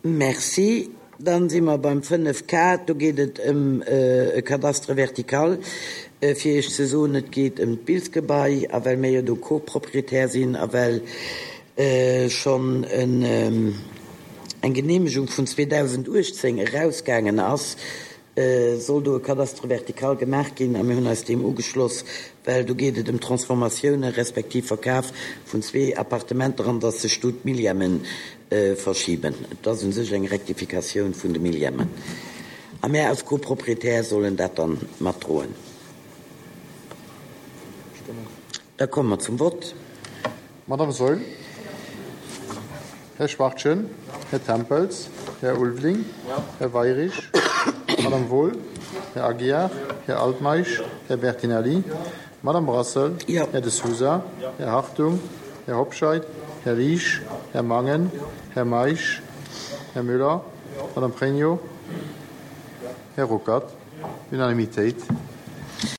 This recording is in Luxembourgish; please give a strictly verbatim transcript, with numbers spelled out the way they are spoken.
Merci. Dann si mer beim fënnef K. Do geet et ëm e Cadastre vertical. Fir Iech ze soen, et geet ëm d'Bilsgebai, a well mir jo do Co-Propriétaire sinn a well schonn eng Geneemegung vun zweedausenduechtzéng erausgaangen ass, soll do e Cadastre vertical gemaach ginn a mir hunn eis deem ugeschloss, well do geet et ëm Transformatioune respektiv Verkaf vun zwee Appartementer an datt sech do d'Millièmen verschiben. Et ass u sech eng Rectificatioun vun de Millièmen a mär als Co-Propriétaire sollen dat dann matdroen. Da komme mer zum Vott. Madame Saeul, Här Schwachtgen, Här Tempels, Här Ulveling, Här Weirich, Madame Wohl, Här Aguiar, Här Altmeisch, Här Bertinelli, Madame Brassel, Här De Sousa, Här Hartung, Här Hobscheit, Här Liesch, Här Mangen, Här Meisch, Här Müller, Madame Pregno, Här Ruckert. Unanimitéit.